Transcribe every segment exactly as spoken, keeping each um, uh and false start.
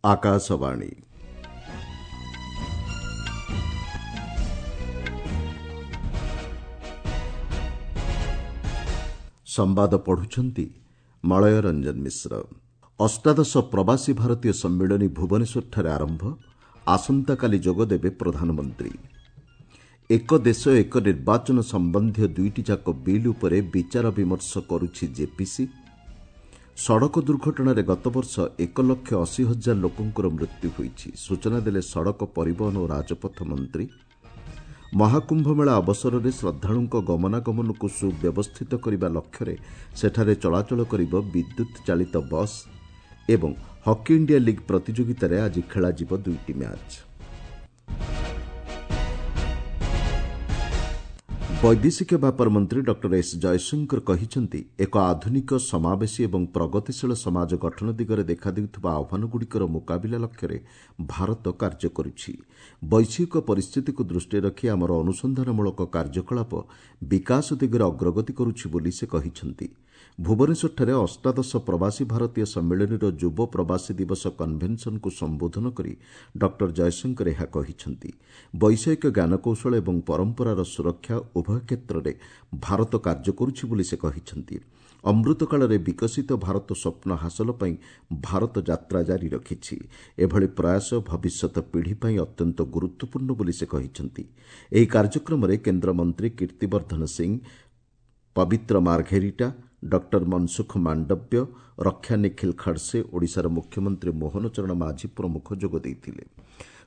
ଆକାଶବାଣୀ ସମ୍ବାଦ ପଢୁଛନ୍ତି ମଳୟ ରଞ୍ଜନ ମିଶ୍ର। ଅଷ୍ଟାଦଶ ପ୍ରବାସୀ ଭାରତୀୟ ସମ୍ମିଳନୀ ଭୁବନେଶ୍ୱରଠାରେ ଆରମ୍ଭ। ଆସନ୍ତାକାଲି ଯୋଗଦେବେ ପ୍ରଧାନମନ୍ତ୍ରୀ। ଏକ ଦେଶ ଏକ ନିର୍ବାଚନ ସମ୍ବନ୍ଧୀୟ ଦୁଇଟି ଯାକ ବିଲ୍ ଉପରେ ବିଚାର ବିମର୍ଶ କରୁଛି ଜେପିସି। ସଡ଼କ ଦୁର୍ଘଟଣାରେ ଗତବର୍ଷ ଏକ ଲକ୍ଷ ଅଶୀ ହଜାର ଲୋକଙ୍କର ମୃତ୍ୟୁ ହୋଇଛି, ସୂଚନା ଦେଲେ ସଡ଼କ ପରିବହନ ଓ ରାଜପଥ ମନ୍ତ୍ରୀ। ମହାକୁମ୍ଭମେଳା ଅବସରରେ ଶ୍ରଦ୍ଧାଳୁଙ୍କ ଗମନାଗମନକୁ ସୁବ୍ୟବସ୍ଥିତ କରିବା ଲକ୍ଷ୍ୟରେ ସେଠାରେ ଚଳାଚଳ କରିବ ବିଦ୍ୟୁତ୍ ଚାଳିତ ବସ୍। ଏବଂ ହକି ଇଣ୍ଡିଆ ଲିଗ୍ ପ୍ରତିଯୋଗିତାରେ ଆଜି ଖେଳାଯିବ ଦୁଇଟି ମ୍ୟାଚ୍। ବୈଦେଶିକ ବ୍ୟାପାର ମନ୍ତ୍ରୀ ଡକ୍ଟର ଏସ୍ ଜୟଶଙ୍କର କହିଛନ୍ତି, ଏକ ଆଧୁନିକ, ସମାବେଶୀ ଏବଂ ପ୍ରଗତିଶୀଳ ସମାଜ ଗଠନ ଦିଗରେ ଦେଖାଦେଉଥିବା ଆହ୍ୱାନଗୁଡ଼ିକର ମୁକାବିଲା ଲକ୍ଷ୍ୟରେ ଭାରତ କାର୍ଯ୍ୟ କରୁଛି। ବୈଶ୍ୱିକ ପରିସ୍ଥିତିକୁ ଦୃଷ୍ଟିରେ ରଖି ଆମର ଅନୁସନ୍ଧାନମୂଳକ କାର୍ଯ୍ୟକଳାପ ବିକାଶ ଦିଗରେ ଅଗ୍ରଗତି କରୁଛି ବୋଲି ସେ କହିଛନ୍ତି। ଭୁବନେଶ୍ୱରଠାରେ ଅଷ୍ଟାଦଶ ପ୍ରବାସୀ ଭାରତୀୟ ସମ୍ମିଳନୀର ଯୁବ ପ୍ରବାସୀ ଦିବସ କନଭେନସନ୍କୁ ସମ୍ବୋଧନ କରି ଡକ୍ଟର ଜୟଶଙ୍କର ଏହା କହିଛନ୍ତି। ବୈଷୟିକ ଜ୍ଞାନକୌଶଳ ଏବଂ ପରମ୍ପରାର ସୁରକ୍ଷା ଉଭୟ କ୍ଷେତ୍ରରେ ଭାରତ କାର୍ଯ୍ୟ କରୁଛି ବୋଲି ସେ କହିଛନ୍ତି। ଅମୃତକାଳରେ ବିକଶିତ ଭାରତ ସ୍ୱପ୍ନ ହାସଲ ପାଇଁ ଭାରତ ଯାତ୍ରା ଜାରି ରଖିଛି। ଏଭଳି ପ୍ରୟାସ ଭବିଷ୍ୟତ ପିଢ଼ି ପାଇଁ ଅତ୍ୟନ୍ତ ଗୁରୁତ୍ୱପୂର୍ଣ୍ଣ ବୋଲି ସେ କହିଛନ୍ତି। ଏହି କାର୍ଯ୍ୟକ୍ରମରେ କେନ୍ଦ୍ରମନ୍ତ୍ରୀ କୀର୍ତ୍ତିବର୍ଦ୍ଧନ ସିଂ, ପବିତ୍ର ମାର୍ଘେରିଟା, ଡକ୍ଟର ମନସୁଖ ମାଣ୍ଡବ୍ୟ, ରକ୍ଷା ନିଖିଲ ଖଡସେ, ଓଡ଼ିଶାର ମୁଖ୍ୟମନ୍ତ୍ରୀ ମୋହନ ଚରଣ ମାଝୀ ପ୍ରମୁଖ ଯୋଗ ଦେଇଥିଲେ।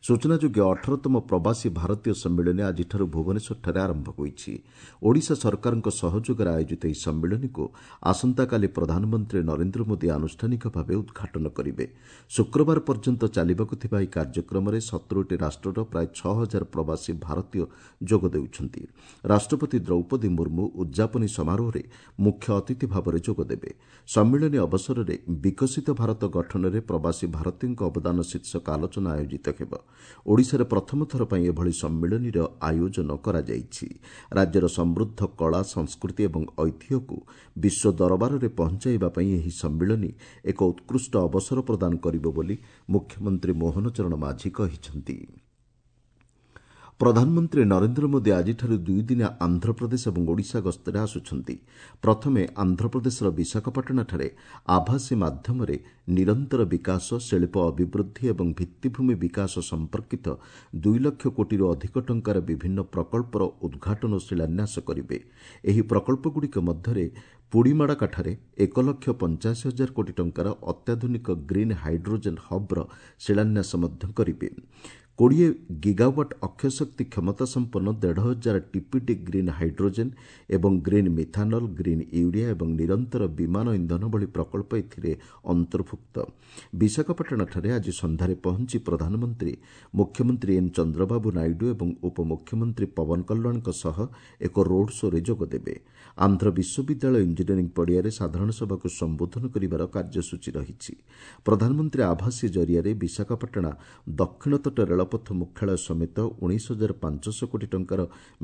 ସୂଚନାଯୋଗ୍ୟ, ଅଠରତମ ପ୍ରବାସୀ ଭାରତୀୟ ସମ୍ମିଳନୀ ଆଜିଠାରୁ ଭୁବନେଶ୍ୱରଠାରେ ଆରମ୍ଭ ହୋଇଛି। ଓଡ଼ିଶା ସରକାରଙ୍କ ସହଯୋଗରେ ଆୟୋଜିତ ଏହି ସମ୍ମିଳନୀକୁ ଆସନ୍ତାକାଲି ପ୍ରଧାନମନ୍ତ୍ରୀ ନରେନ୍ଦ୍ର ମୋଦି ଆନୁଷ୍ଠାନିକ ଭାବେ ଉଦ୍ଘାଟନ କରିବେ। ଶୁକ୍ରବାର ପର୍ଯ୍ୟନ୍ତ ଚାଲିବାକୁ ଥିବା ଏହି କାର୍ଯ୍ୟକ୍ରମରେ ସତୁରିଟି ରାଷ୍ଟ୍ରର ପ୍ରାୟ ଛଅ ହଜାର ପ୍ରବାସୀ ଭାରତୀୟ ଯୋଗ ଦେଉଛନ୍ତି। ରାଷ୍ଟ୍ରପତି ଦ୍ରୌପଦୀ ମୁର୍ମୁ ଉଦ୍ଯାପନୀ ସମାରୋହରେ ମୁଖ୍ୟ ଅତିଥି ଭାବରେ ଯୋଗଦେବେ। ସମ୍ମିଳନୀ ଅବସରରେ ବିକଶିତ ଭାରତ ଗଠନରେ ପ୍ରବାସୀ ଭାରତୀୟଙ୍କ ଅବଦାନ ଶୀର୍ଷକ ଆଲୋଚନା ଆୟୋଜିତ ହେବ। ଓଡ଼ିଶାରେ ପ୍ରଥମ ଥର ପାଇଁ ଏଭଳି ସମ୍ମିଳନୀର ଆୟୋଜନ କରାଯାଇଛି। ରାଜ୍ୟର ସମୃଦ୍ଧ କଳା, ସଂସ୍କୃତି ଏବଂ ଐତିହ୍ୟକୁ ବିଶ୍ୱ ଦରବାରରେ ପହଞ୍ଚାଇବା ପାଇଁ ଏହି ସମ୍ମିଳନୀ ଏକ ଉତ୍କୃଷ୍ଟ ଅବସର ପ୍ରଦାନ କରିବ ବୋଲି ମୁଖ୍ୟମନ୍ତ୍ରୀ ମୋହନ ଚରଣ ମାଝୀ କହିଛନ୍ତି। ପ୍ରଧାନମନ୍ତ୍ରୀ ନରେନ୍ଦ୍ର ମୋଦି ଆଜିଠାରୁ ଦୁଇଦିନିଆ ଆନ୍ଧ୍ରପ୍ରଦେଶ ଏବଂ ଓଡ଼ିଶା ଗସ୍ତରେ ଆସୁଛନ୍ତି। ପ୍ରଥମେ ଆନ୍ଧ୍ରପ୍ରଦେଶର ବିଶାଖାପାଟଣାଠାରେ ଆଭାସୀ ମାଧ୍ୟମରେ ନିରନ୍ତର ବିକାଶ, ଶିଳ୍ପ ଅଭିବୃଦ୍ଧି ଏବଂ ଭିତ୍ତିଭୂମି ବିକାଶ ସମ୍ପର୍କିତ ଦୁଇ ଲକ୍ଷ କୋଟିରୁ ଅଧିକ ଟଙ୍କାର ବିଭିନ୍ନ ପ୍ରକଳ୍ପର ଉଦ୍ଘାଟନ ଓ ଶିଳାନ୍ୟାସ କରିବେ। ଏହି ପ୍ରକଳ୍ପଗୁଡ଼ିକ ମଧ୍ୟରେ ପୁଡ଼ିମାଡ଼କାଠାରେ ଏକ ଲକ୍ଷ ପଞ୍ଚାଅଶୀ ହଜାର କୋଟି ଟଙ୍କାର ଅତ୍ୟାଧୁନିକ ଗ୍ରୀନ୍ ହାଇଡ୍ରୋଜେନ୍ ହବ୍ର ଶିଳାନ୍ୟାସ ମଧ୍ୟ କରିବେ। କୋଡ଼ିଏ ଗିଗାୱାଟ୍ ଅକ୍ଷୟଶକ୍ତି କ୍ଷମତା ସମ୍ପନ୍ନ ଦେଢ଼ ହଜାର ଟିପିଡି ଗ୍ରୀନ୍ ହାଇଡ୍ରୋଜେନ୍ ଏବଂ ଗ୍ରୀନ୍ ମିଥାନଲ୍, ଗ୍ରୀନ୍ ୟୁରିଆ ଏବଂ ନିରନ୍ତର ବିମାନ ଇନ୍ଧନ ଭଳି ପ୍ରକଳ୍ପ ଏଥିରେ ଅନ୍ତର୍ଭୁକ୍ତ। ବିଶାଖାପାଟଣାଠାରେ ଆଜି ସନ୍ଧ୍ୟାରେ ପହଞ୍ଚି ପ୍ରଧାନମନ୍ତ୍ରୀ ମୁଖ୍ୟମନ୍ତ୍ରୀ ଏନ୍ ଚନ୍ଦ୍ରବାବୁ ନାଇଡୁ ଏବଂ ଉପମୁଖ୍ୟମନ୍ତ୍ରୀ ପବନ କଲ୍ୟାଣଙ୍କ ସହ ଏକ ରୋଡ୍ ଶୋରେ ଯୋଗଦେବେ। ଆନ୍ଧ୍ର ବିଶ୍ୱବିଦ୍ୟାଳୟ ଇଞ୍ଜିନିୟରିଂ ପଡ଼ିଆରେ ସାଧାରଣ ସଭାକୁ ସମ୍ବୋଧନ କରିବାର କାର୍ଯ୍ୟସୂଚୀ ରହିଛି। ପ୍ରଧାନମନ୍ତ୍ରୀ ଆଭାସୀ ଜରିଆରେ ବିଶାଖାପାଟଣା ଦକ୍ଷିଣ ତଟ ରେଳପଥ ମୁଖ୍ୟାଳୟ ସମେତ ଉଣେଇଶ ହଜାର ପାଞ୍ଚଶହ କୋଟି ଟଙ୍କାର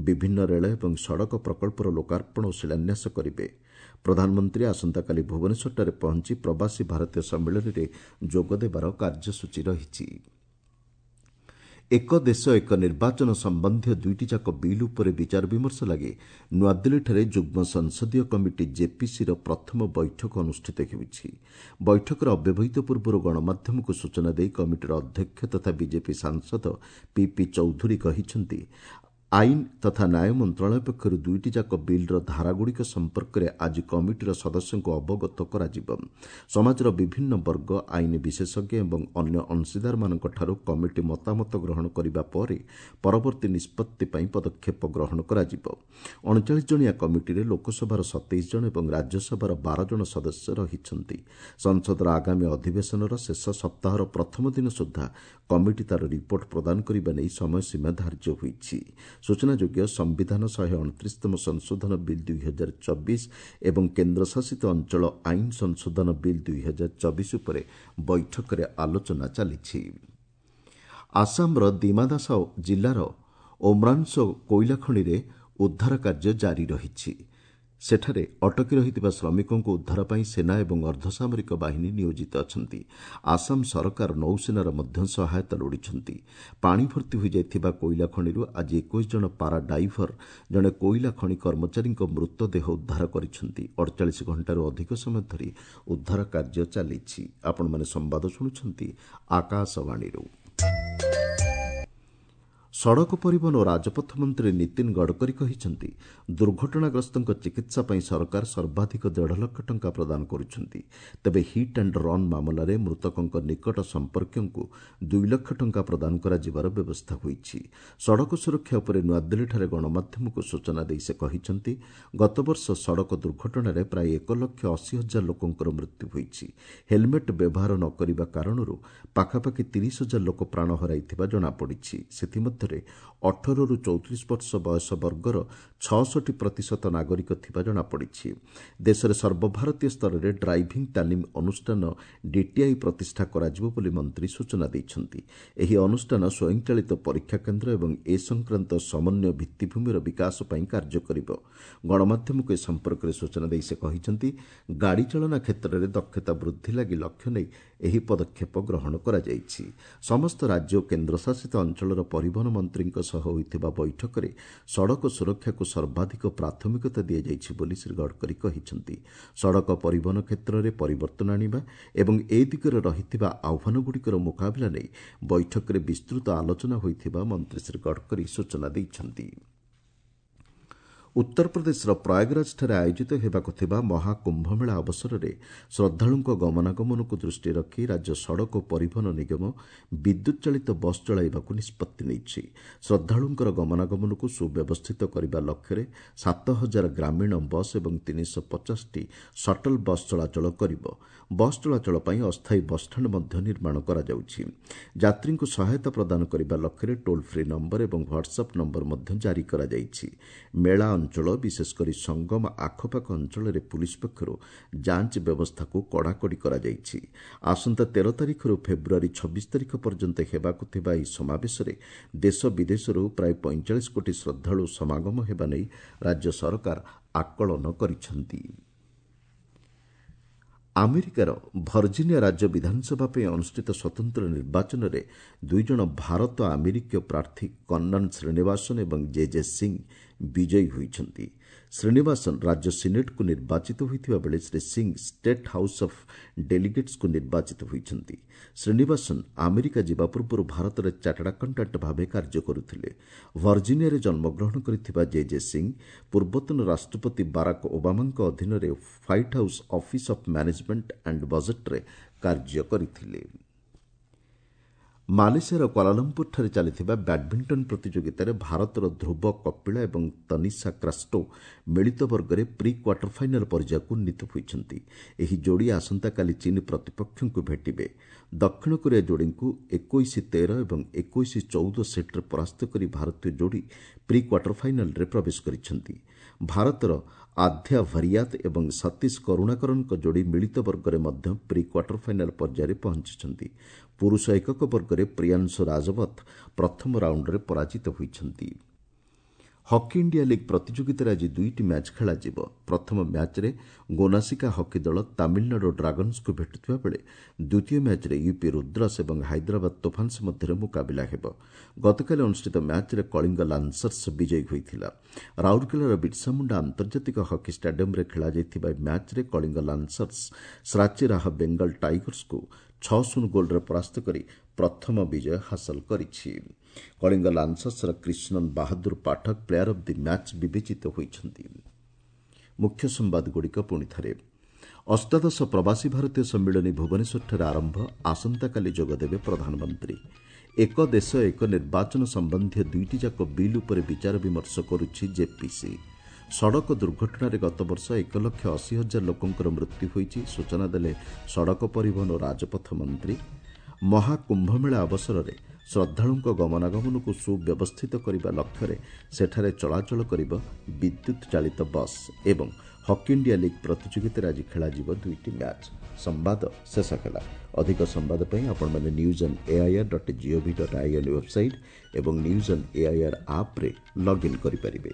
ବିଭିନ୍ନ ରେଳ ଏବଂ ସଡ଼କ ପ୍ରକଳ୍ପର ଲୋକାର୍ପଣ ଓ ଶିଳାନ୍ୟାସ କରିବେ। ପ୍ରଧାନମନ୍ତ୍ରୀ ଆସନ୍ତାକାଲି ଭୁବନେଶ୍ୱରଠାରେ ପହଞ୍ଚି ପ୍ରବାସୀ ଭାରତୀୟ ସମ୍ମିଳନୀରେ ଯୋଗଦେବାର କାର୍ଯ୍ୟସୂଚୀ ରହିଛି। ଏକ ଦେଶ ଏକ ନିର୍ବାଚନ ସମ୍ବନ୍ଧୀୟ ଦୁଇଟି ଯାକ ବିଲ୍ ଉପରେ ବିଚାର ବିମର୍ଶ ଲାଗି ନୂଆଦିଲ୍ଲୀଠାରେ ଯୁଗ୍ମ ସଂସଦୀୟ କମିଟି ଜେପିସିର ପ୍ରଥମ ବୈଠକ ଅନୁଷ୍ଠିତ ହେଉଛି। ବୈଠକର ଅବ୍ୟବହିତ ପୂର୍ବରୁ ଗଣମାଧ୍ୟମକୁ ସୂଚନା ଦେଇ କମିଟିର ଅଧ୍ୟକ୍ଷ ତଥା ବିଜେପି ସାଂସଦ ପିପି ଚୌଧୁରୀ କହିଛନ୍ତି, ଆଇନ ତଥା ନ୍ୟାୟ ମନ୍ତ୍ରଣାଳୟ ପକ୍ଷରୁ ଦୁଇଟି ଯାକ ବିଲ୍ର ଧାରାଗୁଡ଼ିକ ସମ୍ପର୍କରେ ଆଜି କମିଟିର ସଦସ୍ୟଙ୍କୁ ଅବଗତ କରାଯିବ। ସମାଜର ବିଭିନ୍ନ ବର୍ଗ, ଆଇନ ବିଶେଷଜ୍ଞ ଏବଂ ଅନ୍ୟ ଅଂଶୀଦାରମାନଙ୍କଠାରୁ କମିଟି ମତାମତ ଗ୍ରହଣ କରିବା ପରେ ପରବର୍ତ୍ତୀ ନିଷ୍ପତ୍ତି ପାଇଁ ପଦକ୍ଷେପ ଗ୍ରହଣ କରାଯିବ। ଅଣଚାଳିଶ ଜଣିଆ କମିଟିରେ ଲୋକସଭାର ସତେଇଶ ଜଣ ଏବଂ ରାଜ୍ୟସଭାର ବାର ଜଣ ସଦସ୍ୟ ରହିଛନ୍ତି। ସଂସଦର ଆଗାମୀ ଅଧିବେଶନର ଶେଷ ସପ୍ତାହର ପ୍ରଥମ ଦିନ ସୁଦ୍ଧା କମିଟି ତା'ର ରିପୋର୍ଟ ପ୍ରଦାନ କରିବା ନେଇ ସମୟସୀମା ଧାର୍ଯ୍ୟ ହୋଇଛି। ସୂଚନାଯୋଗ୍ୟ, ସମ୍ବିଧାନ ଶହେ ଅଣତିରିଶତମ ସଂଶୋଧନ ବିଲ୍ ଦୁଇ ହଜାର ଚବିଶ ଏବଂ କେନ୍ଦ୍ରଶାସିତ ଅଞ୍ଚଳ ଆଇନ ସଂଶୋଧନ ବିଲ୍ ଦୁଇ ହଜାର ଚବିଶ ଉପରେ ବୈଠକରେ ଆଲୋଚନା ଚାଲିଛି। ଆସାମର ଦିମାଦାସାଓ ଜିଲ୍ଲାର ଓମ୍ରାଂସୋ କୋଇଲା ଖଣିରେ ଉଦ୍ଧାର କାର୍ଯ୍ୟ ଜାରି ରହିଛି। ସେଠାରେ ଅଟକି ରହିଥିବା ଶ୍ରମିକଙ୍କୁ ଉଦ୍ଧାର ପାଇଁ ସେନା ଏବଂ ଅର୍ଦ୍ଧସାମରିକ ବାହିନୀ ନିୟୋଜିତ ଅଛନ୍ତି। ଆସାମ ସରକାର ନୌସେନାର ମଧ୍ୟ ସହାୟତା ଲୋଡ଼ିଛନ୍ତି। ପାଣି ଭର୍ତ୍ତି ହୋଇଯାଇଥିବା କୋଇଲା ଖଣିରୁ ଆଜି ଏକୋଇଶ ଜଣ ପାରା ଡାଇଭର ଜଣେ କୋଇଲା ଖଣି କର୍ମଚାରୀଙ୍କ ମୃତଦେହ ଉଦ୍ଧାର କରିଛନ୍ତି। ଅଡ଼ଚାଳିଶ ଘଣ୍ଟାରୁ ଅଧିକ ସମୟ ଧରି ଉଦ୍ଧାର କାର୍ଯ୍ୟ ଚାଲିଛି। ଆପଣମାନେ ସମ୍ବାଦ ଶୁଣୁଛନ୍ତି ଆକାଶବାଣୀରୁ। ସଡ଼କ ପରିବହନ ଓ ରାଜପଥ ମନ୍ତ୍ରୀ ନୀତିନ ଗଡ଼କରୀ କହିଛନ୍ତି, ଦୁର୍ଘଟଣାଗ୍ରସ୍ତଙ୍କ ଚିକିତ୍ସା ପାଇଁ ସରକାର ସର୍ବାଧିକ ଦେଢ଼ ଲକ୍ଷ ଟଙ୍କା ପ୍ରଦାନ କରୁଛନ୍ତି। ତେବେ ହିଟ୍ ଆଣ୍ଡ ରନ୍ ମାମଲାରେ ମୃତକଙ୍କ ନିକଟ ସମ୍ପର୍କୀୟଙ୍କୁ ଦୁଇ ଲକ୍ଷ ଟଙ୍କା ପ୍ରଦାନ କରାଯିବାର ବ୍ୟବସ୍ଥା ହୋଇଛି। ସଡ଼କ ସୁରକ୍ଷା ଉପରେ ନୂଆଦିଲ୍ଲୀଠାରେ ଗଣମାଧ୍ୟମକୁ ସୂଚନା ଦେଇ ସେ କହିଛନ୍ତି, ଗତବର୍ଷ ସଡ଼କ ଦୁର୍ଘଟଣାରେ ପ୍ରାୟ ଏକ ଲକ୍ଷ ଅଶୀ ହଜାର ଲୋକଙ୍କର ମୃତ୍ୟୁ ହୋଇଛି। ହେଲମେଟ୍ ବ୍ୟବହାର ନ କରିବା କାରଣରୁ ପାଖାପାଖି ତିରିଶ ହଜାର ଲୋକ ପ୍ରାଣ ହରାଇଥିବା ଜଣାପଡ଼ିଛି। ସେଥିମଧ୍ୟରେ ଅଠରରୁ ଚଉତିରିଶ ବର୍ଷ ବୟସ ବର୍ଗର ଛଅଷଠି ପ୍ରତିଶତ ନାଗରିକ ଥିବା ଜଣାପଡ଼ିଛି। ଦେଶରେ ସର୍ବଭାରତୀୟ ସ୍ତରରେ ଡ୍ରାଇଭିଂ ତାଲିମ ଅନୁଷ୍ଠାନ ଡିଟିଆଇ ପ୍ରତିଷ୍ଠା କରାଯିବ ବୋଲି ମନ୍ତ୍ରୀ ସୂଚନା ଦେଇଛନ୍ତି। ଏହି ଅନୁଷ୍ଠାନ ସ୍ୱୟଂଚାଳିତ ପରୀକ୍ଷା କେନ୍ଦ୍ର ଏବଂ ଏ ସଂକ୍ରାନ୍ତ ସମନ୍ୱୟ ଭିତ୍ତିଭୂମିର ବିକାଶ ପାଇଁ କାର୍ଯ୍ୟ କରିବ। ଗଣମାଧ୍ୟମକୁ ଏ ସମ୍ପର୍କରେ ସୂଚନା ଦେଇ ସେ କହିଛନ୍ତି, ଗାଡ଼ି ଚାଳନା କ୍ଷେତ୍ରରେ ଦକ୍ଷତା ବୃଦ୍ଧି ଲାଗି ଲକ୍ଷ୍ୟ ନେଇ ଏହି ପଦକ୍ଷେପ ଗ୍ରହଣ କରାଯାଇଛି। ସମସ୍ତ ରାଜ୍ୟ ଓ କେନ୍ଦ୍ରଶାସିତ ଅଞ୍ଚଳର ପରିବହନ ମନ୍ତ୍ରୀଙ୍କ ସହ ହୋଇଥିବା ବୈଠକରେ ସଡ଼କ ସୁରକ୍ଷାକୁ ସର୍ବାଧିକ ପ୍ରାଥମିକତା ଦିଆଯାଇଛି ବୋଲି ଶ୍ରୀ ଗଡ଼କରୀ କହିଛନ୍ତି। ସଡ଼କ ପରିବହନ କ୍ଷେତ୍ରରେ ପରିବର୍ତ୍ତନ ଆଣିବା ଏବଂ ଏ ଦିଗରେ ରହିଥିବା ଆହ୍ୱାନଗୁଡ଼ିକର ମୁକାବିଲା ନେଇ ବୈଠକରେ ବିସ୍ତୃତ ଆଲୋଚନା ହୋଇଥିବା ମନ୍ତ୍ରୀ ଶ୍ରୀ ଗଡ଼କରୀ ସୂଚନା ଦେଇଛନ୍ତି। ଉତ୍ତରପ୍ରଦେଶର ପ୍ରୟାଗରାଜଠାରେ ଆୟୋଜିତ ହେବାକୁ ଥିବା ମହାକୁମ୍ଭମେଳା ଅବସରରେ ଶ୍ରଦ୍ଧାଳୁଙ୍କ ଗମନାଗମନକୁ ଦୃଷ୍ଟିରେ ରଖି ରାଜ୍ୟ ସଡ଼କ ପରିବହନ ନିଗମ ବିଦ୍ୟୁତ୍ ଚାଳିତ ବସ୍ ଚଳାଇବାକୁ ନିଷ୍ପତ୍ତି ନେଇଛି। ଶ୍ରଦ୍ଧାଳୁଙ୍କର ଗମନାଗମନକୁ ସୁବ୍ୟବସ୍ଥିତ କରିବା ଲକ୍ଷ୍ୟରେ ସାତ ହଜାର ଗ୍ରାମୀଣ ବସ୍ ଏବଂ ତିନିଶହ ପଚାଶଟି ସଟଲ୍ ବସ୍ ଚଳାଚଳ କରିବ। ବସ୍ ଚଳାଚଳ ପାଇଁ ଅସ୍ଥାୟୀ ବସ୍ଷ୍ଟାଣ୍ଡ ମଧ୍ୟ ନିର୍ମାଣ କରାଯାଉଛି। ଯାତ୍ରୀଙ୍କୁ ସହାୟତା ପ୍ରଦାନ କରିବା ଲକ୍ଷ୍ୟରେ ଟୋଲ୍ ଫ୍ରି ନମ୍ବର ଏବଂ ହ୍ୱାଟ୍ସଆପ୍ ନମ୍ବର ମଧ୍ୟ ଜାରି କରାଯାଇଛି। ମେଳା ଅଞ୍ଚଳ, ବିଶେଷକରି ସଙ୍ଗମ ଆଖପାଖ ଅଞ୍ଚଳରେ ପୁଲିସ୍ ପକ୍ଷରୁ ଯାଞ୍ଚ ବ୍ୟବସ୍ଥାକୁ କଡ଼ାକଡ଼ି କରାଯାଇଛି। ଆସନ୍ତା ତେର ତାରିଖରୁ ଫେବୃଆରୀ ଛବିଶ ତାରିଖ ପର୍ଯ୍ୟନ୍ତ ହେବାକୁ ଥିବା ଏହି ସମାବେଶରେ ଦେଶ ବିଦେଶରୁ ପ୍ରାୟ ପଇଁଚାଳିଶ କୋଟି ଶ୍ରଦ୍ଧାଳୁ ସମାଗମ ହେବା ନେଇ ରାଜ୍ୟ ସରକାର ଆକଳନ କରିଛନ୍ତି। ଆମେରିକାର ଭର୍ଜିନିଆ ରାଜ୍ୟ ବିଧାନସଭା ପାଇଁ ଅନୁଷ୍ଠିତ ସ୍ୱତନ୍ତ୍ର ନିର୍ବାଚନରେ ଦୁଇଜଣ ଭାରତ ଆମେରିକୀୟ ପ୍ରାର୍ଥୀ କନ୍ନନ ଶ୍ରୀନିବାସନ ଏବଂ ଜେ ଜେ ସିଂ ବିଜୟୀ ହୋଇଛନ୍ତି। ଶ୍ରୀନିବାସନ ରାଜ୍ୟ ସିନେଟ୍କୁ ନିର୍ବାଚିତ ହୋଇଥିବା ବେଳେ Shri Singh state house of ଡେଲିଗେଟ୍ସକୁ ନିର୍ବାଚିତ ହୋଇଛନ୍ତି। ଶ୍ରୀନିବାସନ ଆମେରିକା ଯିବା ପୂର୍ବରୁ ଭାରତରେ ଚାର୍ଟାର୍ଡ ଆକାଉଣ୍ଟାଣ୍ଟ ଭାବେ କାର୍ଯ୍ୟ କରୁଥିଲେ। ଭର୍ଜିନିଆରେ ଜନ୍ମଗ୍ରହଣ କରିଥିବା ଜେ ଜେ ସିଂ ପୂର୍ବତନ ରାଷ୍ଟ୍ରପତି ବାରାକ ଓବାମାଙ୍କ ଅଧୀନରେ White House Office of Management and ବଜେଟ୍ରେ କାର୍ଯ୍ୟ କରିଥିଲେ। ମାଲେସିଆର କ୍ୱାଲାଲମ୍ପୁରଠାରେ ଚାଲିଥିବା ବ୍ୟାଡ୍ମିଣ୍ଟନ ପ୍ରତିଯୋଗିତାରେ ଭାରତର ଧ୍ରୁବ କପିଳା ଏବଂ ତନିଷା କ୍ରାଷ୍ଟୋ ମିଳିତ ବର୍ଗରେ ପ୍ରି କ୍ୱାର୍ଟର ଫାଇନାଲ୍ ପର୍ଯ୍ୟାୟକୁ ଉନ୍ନୀତ ହୋଇଛନ୍ତି। ଏହି ଯୋଡ଼ି ଆସନ୍ତାକାଲି ଚୀନ୍ ପ୍ରତିପକ୍ଷଙ୍କୁ ଭେଟିବେ। ଦକ୍ଷିଣ କୋରିଆ ଯୋଡ଼ିଙ୍କୁ ଏକୋଇଶ ତେର ଏବଂ ଏକୋଇଶ ଚଉଦ ସେଟ୍ରେ ପରାସ୍ତ କରି ଭାରତୀୟ ଯୋଡ଼ି ପ୍ରି କ୍ୱାର୍ଟର ଫାଇନାଲ୍ରେ ପ୍ରବେଶ କରିଛନ୍ତି। ଭାରତର ଆଧ୍ୟା ଭରିୟାତ ଏବଂ ସତୀଶ କରୁଣାକରନ୍ଙ୍କ ଯୋଡ଼ି ମିଳିତ ବର୍ଗରେ ମଧ୍ୟ ପ୍ରି କ୍ୱାର୍ଟର ଫାଇନାଲ୍ ପର୍ଯ୍ୟାୟରେ ପହଞ୍ଚିଛନ୍ତି। ପୁରୁଷ ଏକକ ବର୍ଗରେ ପ୍ରିୟାଂଶୁ ରାଜବତ ପ୍ରଥମ ରାଉଣ୍ଡରେ ପରାଜିତ ହୋଇଛନ୍ତି। ହକି ଇଣ୍ଡିଆ ଲିଗ୍ ପ୍ରତିଯୋଗିତାରେ ଆଜି ଦୁଇଟି ମ୍ୟାଚ୍ ଖେଳାଯିବ। ପ୍ରଥମ ମ୍ୟାଚ୍ରେ ଗୋନାସିକା ହକି ଦଳ ତାମିଲନାଡୁ ଡ୍ରାଗନ୍ସକୁ ଭେଟୁଥିବା ବେଳେ ଦ୍ୱିତୀୟ ମ୍ୟାଚ୍ରେ ୟୁପି ରୁଦ୍ରସ୍ ଏବଂ ହାଇଦ୍ରାବାଦ ତୋଫାନ୍ସ ମଧ୍ୟରେ ମୁକାବିଲା ହେବ। ଗତକାଲି ଅନୁଷ୍ଠିତ ମ୍ୟାଚ୍ରେ କଳିଙ୍ଗ ଲାନ୍ସର୍ସ ବିଜୟୀ ହୋଇଥିଲା। ରାଉରକେଲାର ବିର୍ସାମୁଣ୍ଡା ଆନ୍ତର୍ଜାତିକ ହକି ଷ୍ଟାଡିୟମ୍ରେ ଖେଳାଯାଇଥିବା ଏହି ମ୍ୟାଚ୍ରେ କଳିଙ୍ଗ ଲାନ୍ସର୍ସ ଶ୍ରାଚି ରାହ ବେଙ୍ଗଲ ଟାଇଗର୍ସକୁ ଛଅ ଶୂନ ଗୋଲ୍ରେ ପରାସ୍ତ କରି ପ୍ରଥମ ବିଜୟ ହାସଲ କରିଛି। Kalinga ଲାନ୍ସର୍ସର Krishnan Bahadur Pathak player of the match ବିବେଚିତ ହୋଇଛନ୍ତି। ମୁଖ୍ୟ ସମ୍ବାଦଗୁଡ଼ିକ ପୁଣି ଥରେ। ଅଷ୍ଟାଦଶ ପ୍ରବାସୀ ଭାରତୀୟ ସମ୍ମିଳନୀ ଭୁବନେଶ୍ୱରଠାରେ ଆରମ୍ଭ। ଆସନ୍ତାକାଲି ଯୋଗଦେବେ ପ୍ରଧାନମନ୍ତ୍ରୀ। ଏକ ଦେଶ ଏକ ନିର୍ବାଚନ ସମ୍ବନ୍ଧୀୟ ଦୁଇଟି ଯାକ ବିଲ୍ ଉପରେ ବିଚାର ବିମର୍ଶ କରୁଛି ଜେପିସି। ସଡ଼କ ଦୁର୍ଘଟଣାରେ ଗତବର୍ଷ ଏକ ଲକ୍ଷ ଅଶୀ ହଜାର ଲୋକଙ୍କର ମୃତ୍ୟୁ ହୋଇଛି, ସୂଚନା ଦେଲେ ସଡ଼କ ପରିବହନ ଓ ରାଜପଥ ମନ୍ତ୍ରୀ। ମହାକୁମ୍ଭମେଳା ଅବସରରେ ଶ୍ରଦ୍ଧାଳୁଙ୍କ ଗମନାଗମନକୁ ସୁବ୍ୟବସ୍ଥିତ କରିବା ଲକ୍ଷ୍ୟରେ ସେଠାରେ ଚଳାଚଳ କରିବ ବିଦ୍ୟୁତ୍ ଚାଳିତ ବସ୍। ଏବଂ ହକି ଇଣ୍ଡିଆ ଲିଗ୍ ପ୍ରତିଯୋଗିତାରେ ଆଜି ଖେଳାଯିବ ଦୁଇଟି ମ୍ୟାଚ୍। ସମ୍ବାଦ ଶେଷ ହେଲା। ଅଧିକ ସମ୍ବାଦ ପାଇଁ ଆପଣମାନେ news on AIR dot gov dot in website ଏବଂ ନ୍ୟୁଜ୍ ଅନ୍ ଏଆଇଆର୍ ଆପ୍ରେ ଲଗ୍ଇନ୍ କରିପାରିବେ।